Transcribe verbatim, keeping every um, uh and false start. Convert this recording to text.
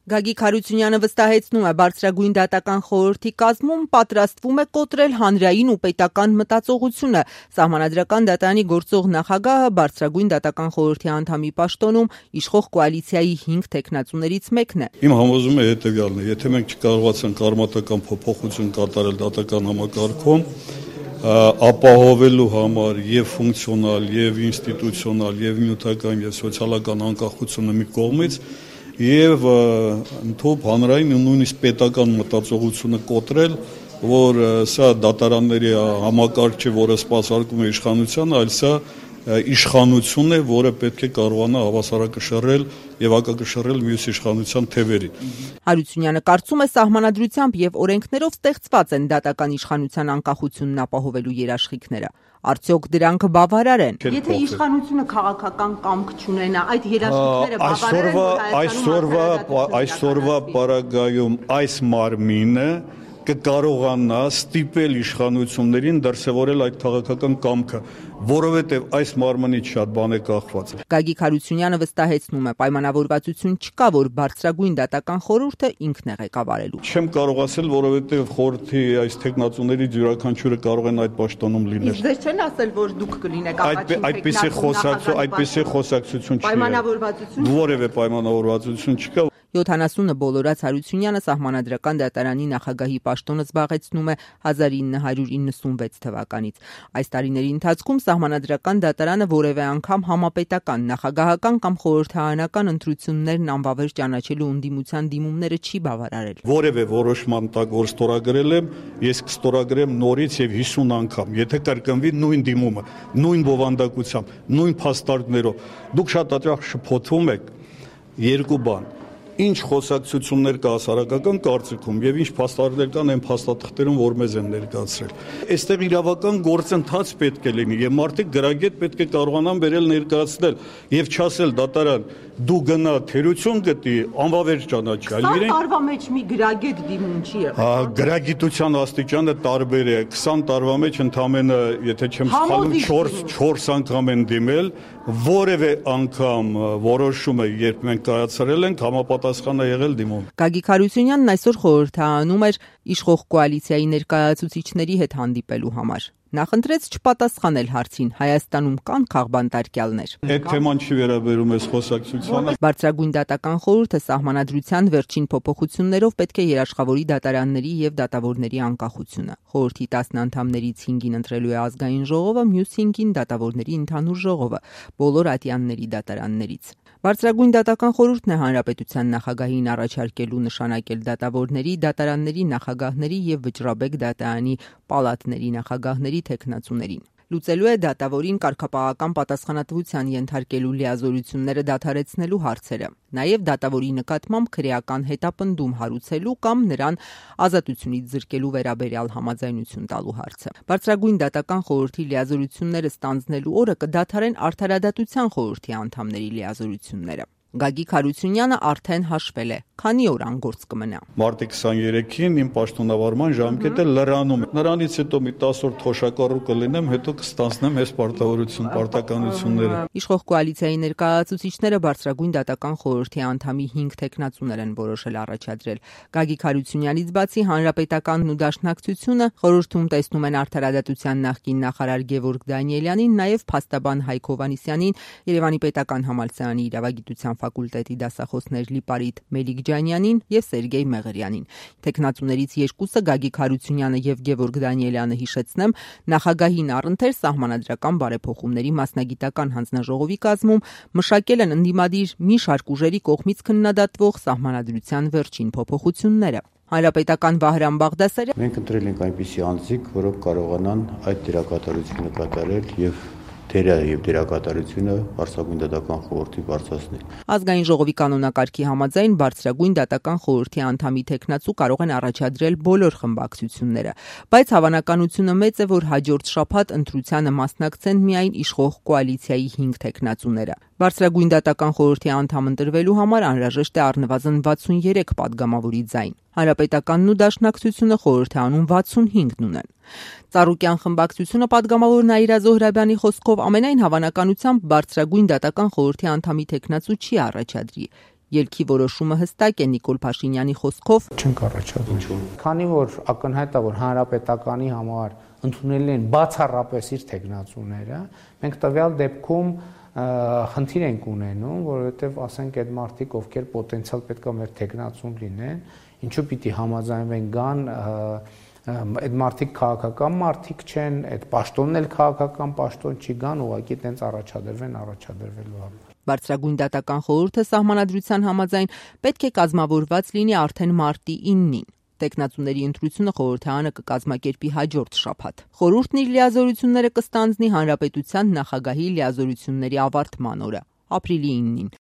Գագիկ Հարությունյանը վստահեցնում է, բարձրագույն դատական խորհրդի կազմում պատրաստվում է կոտրել հանրային ու պետական մտածողությունը։ Սահմանադրական դատարանի գործող նախագահը բարձրագույն դատական խորհրդի անդամի պաշտոնում իշխող կոալիցիայի հինգ թեկնածուներից մեկն է։ Իմ համոզումը հետևյալն է, եթե մենք չկարողացանք արմատական փոփոխություն կատարել դատական համակարգում, ապահովելու համար եւ ֆունկցիոնալ, եւ ինստիտուցիոնալ, եւ նյութական, եւ սոցիալական անկախությունը մի կողմից, եւ ընդհանուր հանրային ու նույնիսկ պետական մտածողությունը կոտրել, որ սա դատարանների համակարգ չէ, որը սպասարկում է իշխանությանը, այլ սա իշխանություն է, որը պետք է կարողանա հավասարակշռել եւ հակակշռել մյուս իշխանության թևերին։ Հարությունյանը կարծում է, սահմանադրությամբ եւ օրենքներով ստեղծված են դատական իշխանության անկախությունն ապահովելու երաշխիքները։ Արդյոք դրանք բավարար են։ Եթե իշխանությունը քաղաքական կամք չունենա, այդ երաշխիքները բավարար են։ Այսօրվա այսօրվա պարագայում այս մարմինը կկարողանա ստիպել իշխանություններին դրսևորել այդ քաղաքական կամքը, որովհետև այս մարմնից շատ բան է կախված։ Գագիկ Հարությունյանը վստահեցնում է, պայմանավորվածություն չկա, որ բարձրագույն դատական խորհուրդը ինքն է ղեկավարելու։ Չեմ կարող ասել, որովհետև խորհրդի այս թեկնածուներից յուրաքանչյուրը կարող են այդ պաշտոնում լինել։ Իսկ ձեզ չեն ասել, որ դուք կլինեք առաջին այդպիսի խոսակցություն, այդպիսի խոսակցություն չի։ Պայմանավորվածություն որևէ պայմանավորվածություն չկա։ յոթանասունը բոլորած Հարությունյանը սահմանադրական դատարանի նախագահի պաշտոնը զբաղեցնում է հազար ինը հարյուր իննսունվեց թվականից։ Այս տարիների ընթացքում սահմանադրական դատարանը որևէ անգամ համապետական, նախագահական կամ խորհրդարանական ընտրություններն անվավեր ճանաչելու ընդդիմության դիմումները չի բավարարել։ Որևէ որոշման տակ, որ ստորագրել եմ, ես կստորագրեմ նորից եւ հիսուն անգամ, եթե կրկնվի նույն դիմումը, նույն բովանդակությամբ, նույն փաստարկներով։ Դուք շատ հաճախ շփոթվում եք երկու բան. ինչ խոսակցություններ կա հասարակական կարծիքում եւ ինչ փաստարկներ կան այն փաստաթղթերում, որ մեզ են ներկայացրել։ Այստեղ իրավական գործընթաց պետք է լինի եւ մարդիկ գրագետ պետք է կարողանան վերել ներկայացնել եւ չասել դատարան դու գնա թերություն գտի անվավեր ճանաչի, այլ իրենք տարվա մեջ մի գրագետ դիմում չի եղել։ Հա, գրագիտության աստիճանը տարբեր է։ քսան տարվա մեջ ընդամենը, եթե չեմ սխալվում, չորս անգամ են դիմել, որևէ անգամ որոշումը, երբ մենք կայացրել ենք, համապատասխան է եղել դիմում։ Գագիկ Հարությունյանն այսօր խորհրդարանում էր իշխող կոալիցիայի ներկայացուցիչների հետ հանդիպելու համար։ Նախընտրեց չպատասխանել հարցին, Հայաստանում կան քաղբանտարկյալներ։ Այդ թեման չի վերաբերում այս խոսակցությանը։ Բարձրագույն դատական խորհուրդը սահմանադրության վերջին փոփոխություններով պետք է երաշխավորի դատարանների եւ դատավորների անկախությունը։ Խորհրդի տասն անդամներից հինգին ընտրելու է ազգային ժողովը, մյուս հինգին դատավորների ընդհանուր ժողովը, բոլոր ատյանների դատարաններից։ Բարձրագույն դատական խորհուրդն է հանրապետության նախագահին առաջարկելու նշանակել դատավորների, դատարանների նախագահների եւ Վճռաբեկ դատարանի պալատների նախագահների թեկնածուներին։ Լուծելու է դատավորին կարգապահական պատասխանատվության ենթարկելու լիազորությունները դադարեցնելու հարցերը, նաև դատավորի նկատմամբ քրեական հետապնդում հարուցելու կամ նրան ազատությունից զրկելու վերաբերյալ համաձայնություն տալու հարցը։ Բարձրագույն դատական խորհրդի լիազորությունները ստանձնելու օրը կդադարեն Արդարադատության խորհրդի անդամների լիազորությունները։ Գագիկ Հարությունյանը արդեն հաշվել է, քանի օր անգործ կմնա։ Մարտի քսաներեքին իմ պաշտոնավարման ժամկետը լրանում է։ Նրանից հետո մի տասը օր թոշակառու կլինեմ, հետո կստանձնեմ այս պարտավորություն, պարտականությունները։ Իշխող կոալիցիայի ներկայացուցիչները բարձրագույն դատական խորհրդի անդամի հինգ թեկնածուներ են որոշել առաջադրել։ Գագիկ Հարությունյանից բացի Հանրապետականն ու Դաշնակցությունը խորհրդում տեսնում են Արդարադատության նախկին նախարար Գևորգ Դանիելյանին, նաև փաստաբան Հայկ Հովհաննիսյանին, Երևանի պետական համալսարանի իրավագիտության ֆակուլտետի դասախոսներ Լիպարիտ Մելիքջանյանին եւ Սերգեյ Մեղրյանին։ Թեկնածուներից երկուսը Գագիկ Հարությունյանը եւ Գևորգ Դանիելյանը, հիշեցնեմ, նախագահին առընթեր սահմանադրական բարեփոխումների մասնագիտական հանձնաժողովի կազմում մշակել են ընդդիմադիր մի շարք ուժերի կողմից քննադատվող սահմանադրության վերջին փոփոխությունները։ Հանրապետական Վահրամ Բաղդասարյանը մենք ընտրել ենք այնպիսի անձիկ, որոնք կարողանան այդ դերակատարությունը կատարել եւ դերը եւ դերակատարությունը բարձրագույն դատական խորհրդի բարձրացնել։ Ազգային ժողովի կանոնակարգի համաձայն բարձրագույն դատական խորհրդի անդամի թեկնածու կարող են առաջադրել բոլոր խմբակցությունները, բայց հավանականությունը մեծ է, որ հաջորդ շաբաթ ընտրությանը մասնակցեն միայն իշխող կոալիցիայի հինգ թեկնածուները։ Բարձրագույն դատական խորհրդի անդամ ընտրվելու համար անհրաժեշտ է առնվազն վաթսուներեք պատգամավորի ձայն։ Հանրապետականն ու Դաշնակցությունը խորհրդանում վաթսունհինգն ունեն։ Ծառուկյան խմբակցությունը պատգամավոր Նաիրա Զոհրաբյանի խոսքով ամենայն հավանականությամբ բարձրագույն դատական խորհրդի անդամի թեկնածու չի առաջադրի։ Ելքի որոշումը հստակ է Նիկոլ Փաշինյանի խոսքով. Չենք առաջադրում։ Քանի որ ակնհայտ է, որ հանրապետականի համար ընդունել են բացառապես իր թեկնածուները, մենք տվյալ դեպքում խնդիր ենք ունենում, որովհետև ասենք այդ մարդիկ, ովքեր պոտենցիալ պետք է մեր թեկնածուն լինեն, ինչու պիտի համաձայնվեն գան, այդ մարդիկ քաղաքական մարդիկ չեն, այդ պաշտոնն էլ քաղաքական պաշտոն չի, գան ուղղակի տենց առաջադրվեն առաջադրվելու համար։ Բարձրագույն դատական խորհուրդը սահմանադրության համաձայն պետք է կազմավորված լինի արդեն մարտի իննին։ Տեխնացուների ընտրությունը խորհրդարանը կկազմակերպի հաջորդ շաբաթ։ Խորհուրդն իր լիազորությունները կստանձնի հանրապետության նախագահի լիազորությունների ավարտման օրը՝ ապրիլի իննին։